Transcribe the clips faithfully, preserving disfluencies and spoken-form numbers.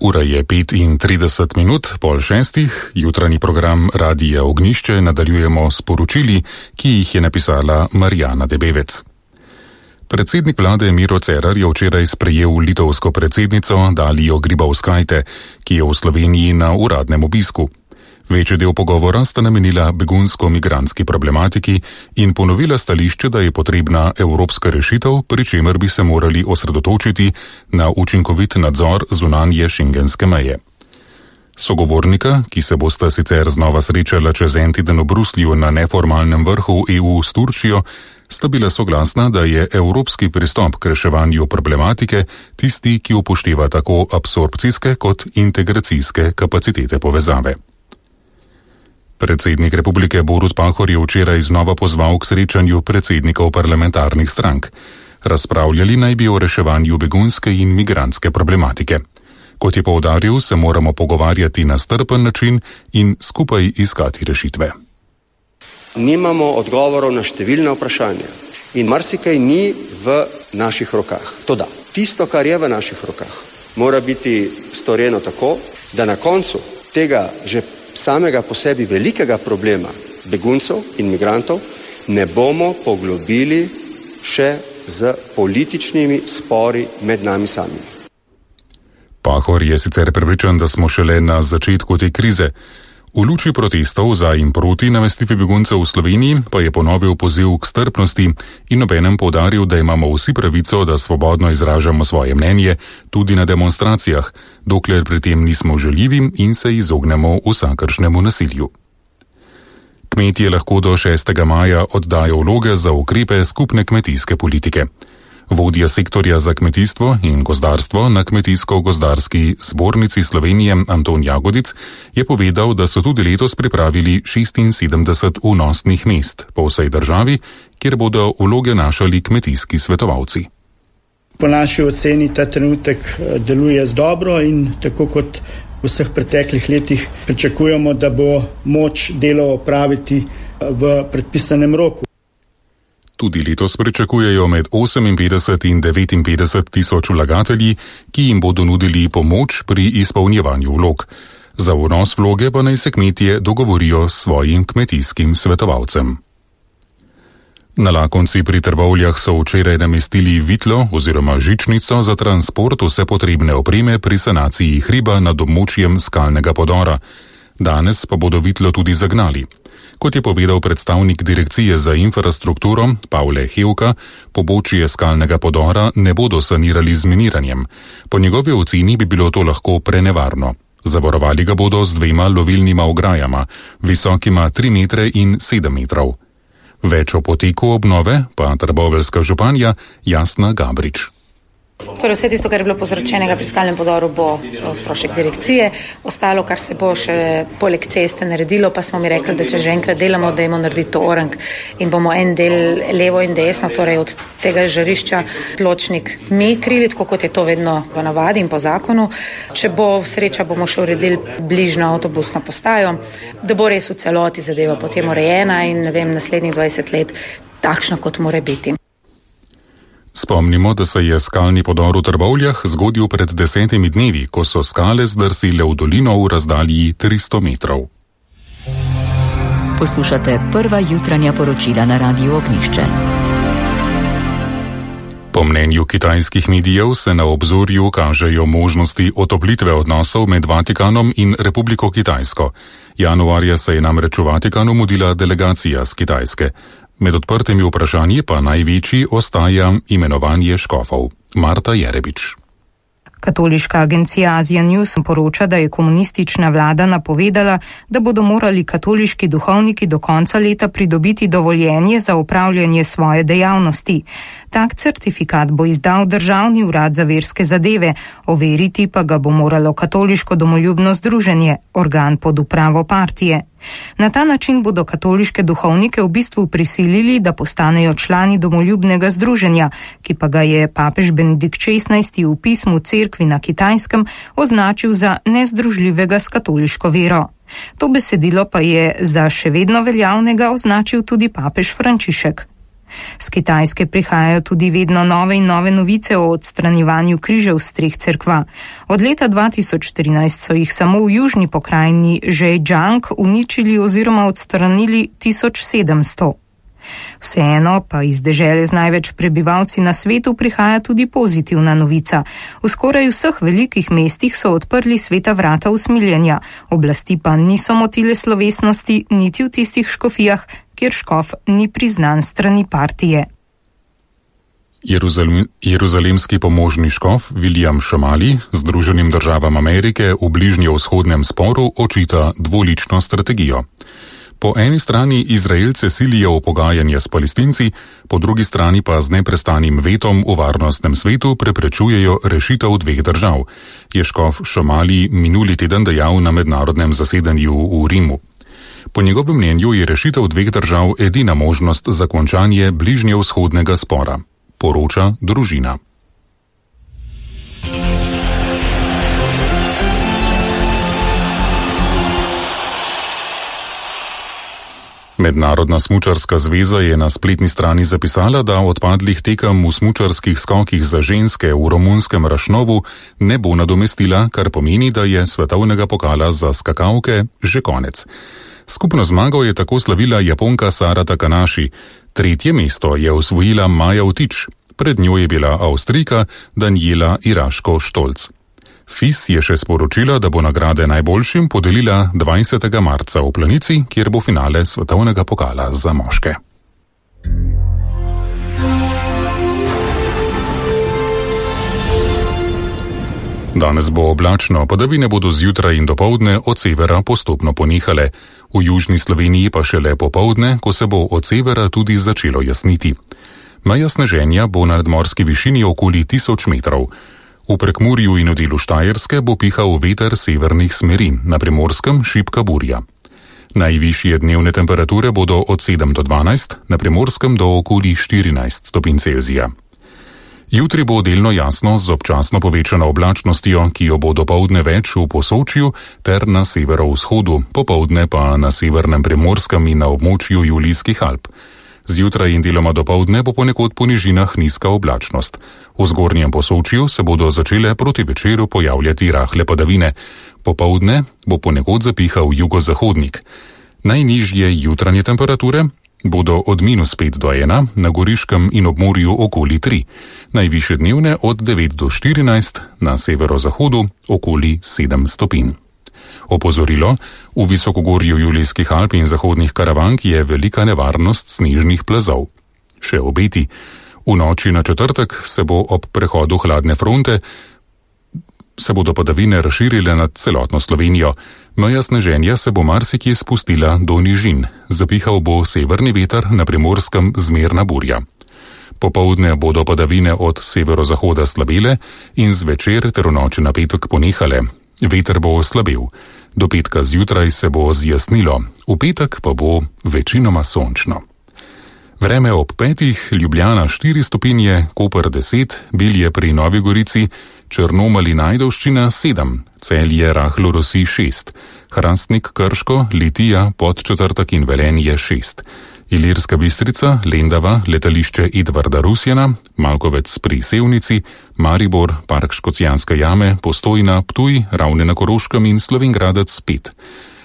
Ura je petintrideset minut, pol šestih, jutranji program Radija Ognjišče nadaljujemo s poročili, ki jih je napisala Marjana Debevec. Predsednik vlade Miro Cerar je včeraj sprejel litovsko predsednico Dalijo Grybauskaitę, ki je v Sloveniji na uradnem obisku. Večji del pogovora sta namenila begunsko-migrantski problematiki in ponovila stališče, da je potrebna evropska rešitev, pri čemer bi se morali osredotočiti na učinkovit nadzor zunanje šengenske meje. Sogovornika, ki se bosta sicer znova srečala čez en teden v Bruslju na neformalnem vrhu E U s Turčijo, sta bila soglasna, da je evropski pristop k reševanju problematike tisti, ki upošteva tako absorpcijske kot integracijske kapacitete povezave. Predsednik republike Borut Pahor je včeraj znova pozval k srečanju predsednikov parlamentarnih strank. Razpravljali naj bi o reševanju begunske in migrantske problematike. Kot je poudaril, se moramo pogovarjati na strpen način in skupaj iskati rešitve. Nimamo odgovorov na številna vprašanja in marsikaj ni v naših rokah. Toda tisto, kar je v naših rokah, mora biti storjeno tako, da na koncu tega že samega po sebi velikega problema beguncev in migrantov ne bomo poglobili še z političnimi spori med nami samimi. Pahor je sicer prepričan, da smo šele na začetku te krize. V luči protestov za in proti namestitvi beguncev v Sloveniji pa je ponovil poziv k strpnosti in obenem poudaril, da imamo vsi pravico, da svobodno izražamo svoje mnenje tudi na demonstracijah, dokler pri tem nismo žaljivi in se izognemo vsakršnemu nasilju. Kmetje lahko do šestega maja oddajo vloge za ukrepe skupne kmetijske politike. Vodja sektorja za kmetijstvo in gozdarstvo na Kmetijsko-gozdarski zbornici Slovenije Anton Jagodic je povedal, da so tudi letos pripravili šestinsedemdeset vnosnih mest po vsej državi, kjer bodo vloge našali kmetijski svetovalci. Po naši oceni ta trenutek deluje dobro in tako kot v vseh preteklih letih pričakujemo, da bo moč delo opraviti v predpisanem roku. Tudi letos pričakujejo med oseminpetdeset in devetinpetdeset tisoč vlagatelji, ki jim bodo nudili pomoč pri izpolnjevanju vlog. Za vnos vloge pa naj se kmetje dogovorijo s svojim kmetijskim svetovalcem. Na Lakonci pri Trbovljah so včeraj namestili vitlo oziroma žičnico za transport vse potrebne opreme pri sanaciji hriba nad območjem skalnega podora. Danes pa bodo vitlo tudi zagnali. Kot je povedal predstavnik Direkcije za infrastrukturo Pavle Hevka, pobočje skalnega podora ne bodo sanirali z miniranjem. Po njegovi oceni bi bilo to lahko prenevarno. Zavarovali ga bodo z dvema lovilnima ograjama, visokima tri metre in sedem metrov. Več o poteku obnove pa trboveljska županja Jasna Gabrič. Torej vse tisto, kar je bilo povzročenega pri skalnem podoru, bo strošek direkcije. Ostalo, kar se bo še poleg ceste naredilo, pa smo mi rekli, da če že enkrat delamo, da imamo narediti to orank in bomo en del levo in desno, torej od tega žarišča pločnik mi krili, tako kot je to vedno v navadi in po zakonu. Če bo sreča, bomo še uredili bližnjo avtobusno postajo, da bo res v celoti zadeva potem urejena in ne vem, naslednjih dvajset let takšna, kot mora biti. Spomnimo, da se je skalni podor v Trbovljah zgodil pred desetimi dnevi, ko so skale zdrsile v dolino v razdalji tristo metrov. Poslušate prva jutranja poročila na Radiju Ognjišče. Po mnenju kitajskih medijev se na obzorju kažejo možnosti otoplitve odnosov med Vatikanom in Republiko Kitajsko. Januarja se je namreč v Vatikanu mudila delegacija z Kitajske. Med odprtimi vprašanji pa največji ostaja imenovanje škofov. Marta Jerebič. Katoliška agencija Asia News poroča, da je komunistična vlada napovedala, da bodo morali katoliški duhovniki do konca leta pridobiti dovoljenje za upravljanje svoje dejavnosti. Tak certifikat bo izdal Državni urad za verske zadeve, overiti pa ga bo moralo Katoliško domoljubno združenje, organ pod upravo partije. Na ta način bodo katoliške duhovnike v bistvu prisilili, da postanejo člani domoljubnega združenja, ki pa ga je papež Benedikt šestnajsti v pismu cerkvi na Kitajskem označil za nezdružljivega s katoliško vero. To besedilo pa je za še vedno veljavnega označil tudi papež Frančišek. Z Kitajske prihajajo tudi vedno nove in nove novice o odstranjevanju križev s treh cerkva. Od leta dva tisoč trinajst so jih samo v južni pokrajini Zhejiang uničili oziroma odstranili tisoč sedemsto. Vseeno pa iz dežele z največ prebivalci na svetu prihaja tudi pozitivna novica. V skoraj vseh velikih mestih so odprli sveta vrata usmiljenja, oblasti pa niso motile slovesnosti niti v tistih škofijah, kjer škof ni priznan strani partije. Jeruzalem, jeruzalemski pomožni škof William Shamali Združenim državam Amerike v bližnjevzhodnem sporu očita dvolično strategijo. Po eni strani Izraelce silijo v pogajanje s Palestinci, po drugi strani pa z neprestanim vetom v varnostnem svetu preprečujejo rešitev dveh držav, je škof Shamali minuli teden dejal na mednarodnem zasedanju v Rimu. Po njegovem mnenju je rešitev dveh držav edina možnost za končanje bližnjevzhodnega spora, poroča Družina. Mednarodna smučarska zveza je na spletni strani zapisala, da odpadlih tekem v smučarskih skokih za ženske v romunskem Rašnovu ne bo nadomestila, kar pomeni, da je svetovnega pokala za skakalke že konec. Skupno zmago je tako slavila Japonka Sara Takanashi, tretje mesto je osvojila Maja Vtič, pred njo je bila Avstrijka Daniela Iraško-Štolc. F I S je še sporočila, da bo nagrade najboljšim podelila dvajsetega marca v Planici, kjer bo finale svetovnega pokala za moške. Danes bo oblačno, padavine bodo zjutraj in dopoldne od severa postopno ponehale. V južni Sloveniji pa šele popoldne, ko se bo od severa tudi začelo jasniti. Meja sneženja bo na nadmorski višini okoli tisoč metrov. V Prekmurju in v delu Štajerske bo pihal veter severnih smeri, na Primorskem šibka burja. Najvišje dnevne temperature bodo od sedem do dvanajst, na Primorskem do okoli štirinajst stopinj Celzija. Jutri bo delno jasno z občasno povečano oblačnostjo, ki jo bo dopoldne več v Posočju ter na severovzhodu, popoldne pa na severnem Primorskem in na območju Julijskih Alp. Zjutraj in deloma dopoldne bo ponekod po nižinah nizka oblačnost. V zgornjem Posočju se bodo začele proti večeru pojavljati rahle padavine. Popoldne bo ponekod zapihal jugozahodnik. Najnižje jutranje temperature bodo od minus pet do ena, na Goriškem in obmorju okoli tri. Najvišje dnevne od devet do štirinajst, na severozahodu okoli sedem stopinj. Opozorilo, v visokogorju Julijskih Alp in zahodnih Karavank je velika nevarnost snežnih plazov. Še obeti. V noči na četrtek se bo ob prehodu hladne fronte se bodo padavine razširile nad celotno Slovenijo. Meja sneženja se bo marsikje spustila do nižin. Zapihal bo severni veter, na Primorskem zmerna burja. Popoldne bodo padavine od severozahoda slabele in zvečer ter v noči na petek ponehale. Veter bo oslabel. Do petka zjutraj se bo zjasnilo, v petek pa bo večinoma sončno. Vreme ob petih, Ljubljana štiri stopinje, Koper deset, Bilje pri Novi Gorici, Črnomelj in Ajdovščina sedem, Celje rahlo rosi šest, Hrastnik, Krško, Litija, Podčetrtek in Velenje šest, Ilirska Bistrica, Lendava, letališče Edvarda Rusjana, Malkovec pri Sevnici, Maribor, Park Škocjanske jame, Postojna, Ptuj, Ravne na Koroškem in Slovenj Gradec pet,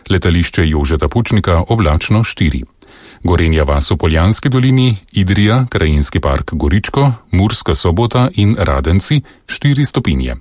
letališče Jožeta Pučnika oblačno štiri. Gorenja vas v Poljanski dolini, Idrija, Krajinski park Goričko, Murska Sobota in Radenci štiri stopinje.